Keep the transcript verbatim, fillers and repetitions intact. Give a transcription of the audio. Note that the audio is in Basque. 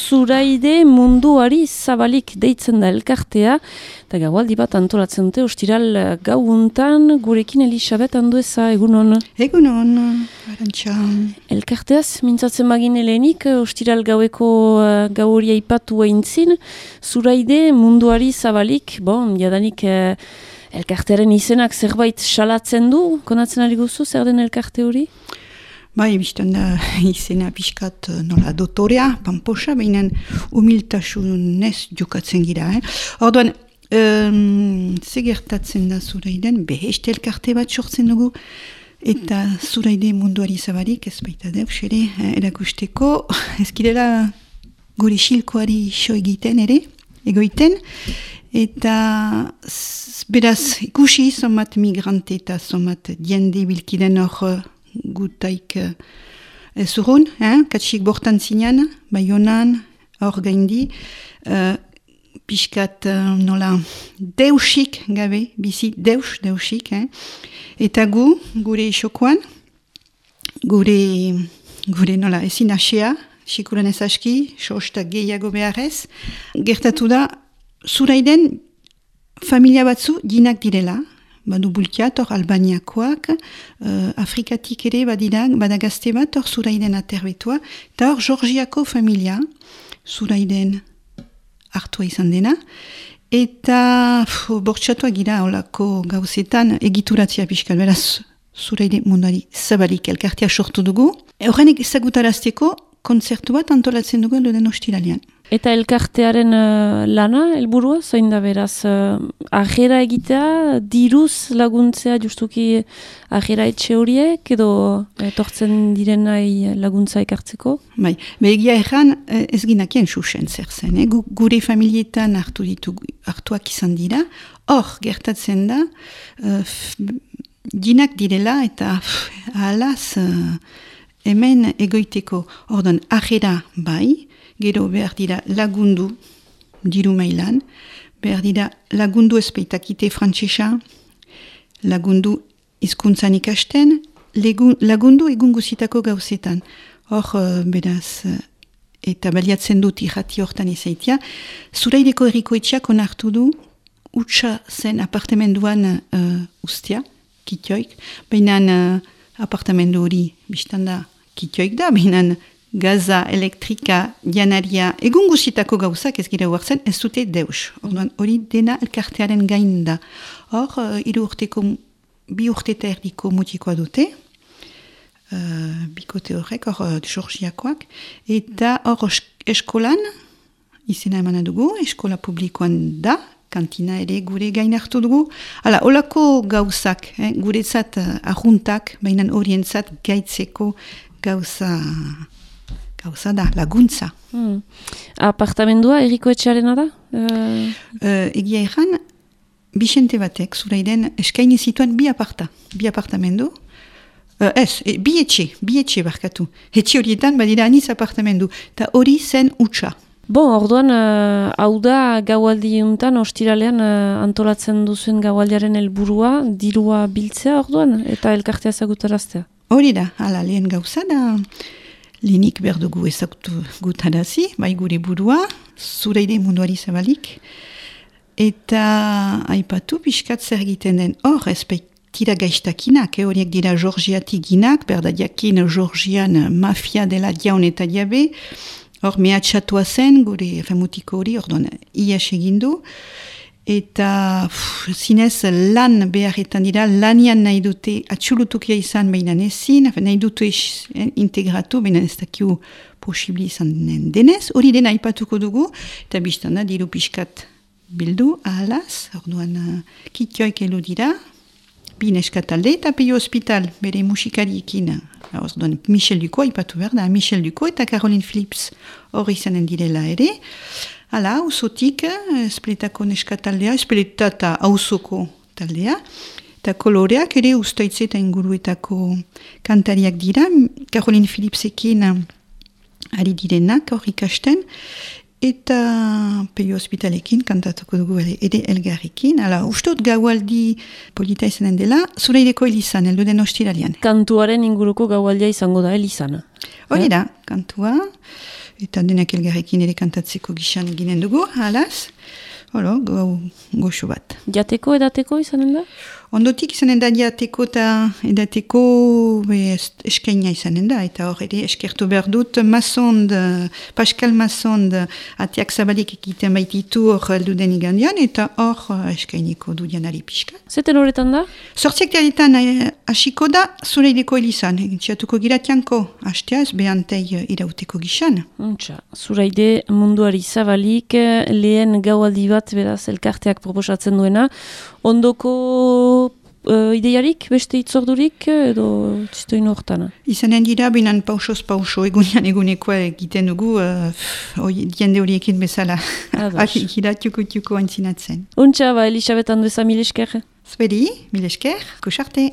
Zuraide munduari zabalik deitzen da elkartea, eta gaualdi bat antolatzen dute, ostiral gauuntan, gurekin Elisabet Andueza, egunon. Egunon, Arantxa. Elkarteaz, mintzatzen bagin helenik, ostiral gaueko uh, gau hori aipatu eintzin, Zuraide munduari zabalik, bon, jadanik uh, elkartearen izenak zerbait salatzen du, konatzen ari guzu, zer den elkarte hori? Bai, biztan da izena pixkat nola dotorea, pamposa, behinan humiltasunez jokatzen gira. Eh? Orduan, um, zegertatzen da Zuraiden, beheste elkarte bat sortzen dugu, eta Zuraide munduari zabalik, ez baita deus ere, erakusteko, ez girela gure xilkoari xo egiten ere, egoiten, eta beraz ikusi zomat migrante eta zomat diende bilkiden hor gutaik uh, zurun, eh? Katsik bortan zinean, Baionan, hor gaindi, uh, pixkat uh, nola deusik gabe, bizi deus, deusik, eh? Eta gu, gure xokoan, gure, gure nola ezin asea, sikuran ez aski, sosta gehiago beharrez, gertatu da, Zuraiden familia batzu dinak direla, badu bultiat, hor Albaniakoak, uh, Afrikatik ere badidak, badagazte bat, hor Zuraiden aterbetua, eta hor Georgiako familia, Zuraiden hartua izan dena, eta bortxatuak gira holako gauzetan egituratzea pixkat, beraz Zuraide munduari zabalik elkartea sortu dugu. Horrenek ezagutarazteko kontzertu bat antolatzen dugu edo den ostiralean. Eta elkartearen uh, lana, helburua, zain da beraz, uh, ajera egitea, diruz laguntzea justuki ajera etxe horiek, edo etortzen direnai laguntza ekartzeko? Bai, begia erran ez ginakien susen zer zen, eh? Gure familietan hartu ditu, hartuak izan dira, hor gertatzen da, uh, dinak direla eta pff, ahalaz uh, hemen egoiteko, ordan ajera bai, gero behar dira lagundu, diru mailan, behar dira lagundu espeitakite frantsesa, lagundu hizkuntzan ikasten, legun, lagundu egun guzitako gauzetan. Hor, uh, beraz, uh, eta baliatzen dut irrati hortan izaitia, Zuraideko herriko etxeak onartu du, utxa zen apartamenduan uh, ustia, kitioik, behinan uh, apartamendu hori biztanda kitioik da, behinan gaza, elektrika, janaria, egun guzitako gauzak ez gira huartzen, ez dute deus. Orduan, hori dena elkartearen gain da. Hor, uh, iru urteko, bi urteta erdiko mutikoa dute, uh, bikote horrek, hor, uh, Georgiakoak, eta hor eskolan, izena emana dugu, eskola publikoan da, kantina ere gure gain hartu dugu. Hala, holako gauzak, eh, guretzat uh, ahuntak, baina horientzat gaitzeko gauza... Gauza da, laguntza. Hmm. Apartamendua erriko etxearena da? Uh... Uh, egia erran, Bixente batek, Zuraiden, eskaini zituen bi aparta, bi apartamendu. Uh, ez, e, bi etxe, bi etxe barkatu. Etxe horietan, badira aniz apartamendu. Eta hori zen utxa. Bon, orduan, uh, hau da gaualdi untan, ostiralean uh, antolatzen duzuen gaualdiaren helburua, dirua biltzea orduan, eta elkartea ezagutaraztea. Hori da, hala, lehen gauza da... Lehenik behar dugu ezagutu gutarazi, bai gure burua, Zuraide munduari zabalik, eta aipatu pixkat zer egiten den hor, ez baitira gaiztakinak, eh, horiek dira Georgiatik ginak, berda diakin Georgian mafia dela diaun eta diabe, hor mehatxatua zen, gure femutiko hori, orduan ias egindu, eta pff, zinez lan beharretan dira, lanian nahi dute atxulutukia izan behinan ezin, nahi dute integratu, behinan ez dakiu posibli izan denez, hori dena aipatuko dugu, eta biztana diru pixkat bildu, ahalaz, orduan uh, kitioik elu dira, bi neskatalde, eta peio hospital, bere musikariekin, orduan Michel Duko aipatu behar da, Michel Duko eta Caroline Phillips hori izanen direla ere, hala, auzotik, espletako neskataldea, espletata auzoko taldea, eta koloreak ere ustaitze eta inguruetako kantariak dira, Caroline Phillipsekin ari direnak hor ikasten, eta peio hospitalekin kantatuko dugu ere, ere elgarrekin. Hala, ustot gaualdi polita izanen dela, Zuraideko Elizan, heldu den ostiralean. Kantuaren inguruko gaualdia izango da Elizan. Hori da, kantua. eta denak elgarrekin ere kantatzeko gixan eginen dugu, halaz. Holo, go, goxo bat. Jateko edateko izanen da? Ondotik izanen da jateko eta edateko be, eskaina izanen da. Eta hor ere eskertu behar dut Masond, Pascal Masond atiak zabalik egiten baititu hor heldu den igandian eta hor eskainiko du janari pixka. Zeten horretan da? Sortziak diaretan hasiko da Zureideko elizan. Txatuko giratianko hasteaz behantei irauteko gixan. Untxa, Zuraide munduari zabalik lehen gaualdi bat beraz elkarteak proposatzen duena. Ondoko uh, ideiarik, beste itzordurik edo txistoin hortana? Izanen dira, binan pausoz pauso egunean egunekoa egiten dugu, uh, jende horiekin bezala. Ikiratuko tuko antzinatzen. Untxa, ba, Elisabet Andueza, mil esker. Zbedi, mil esker, kusarte.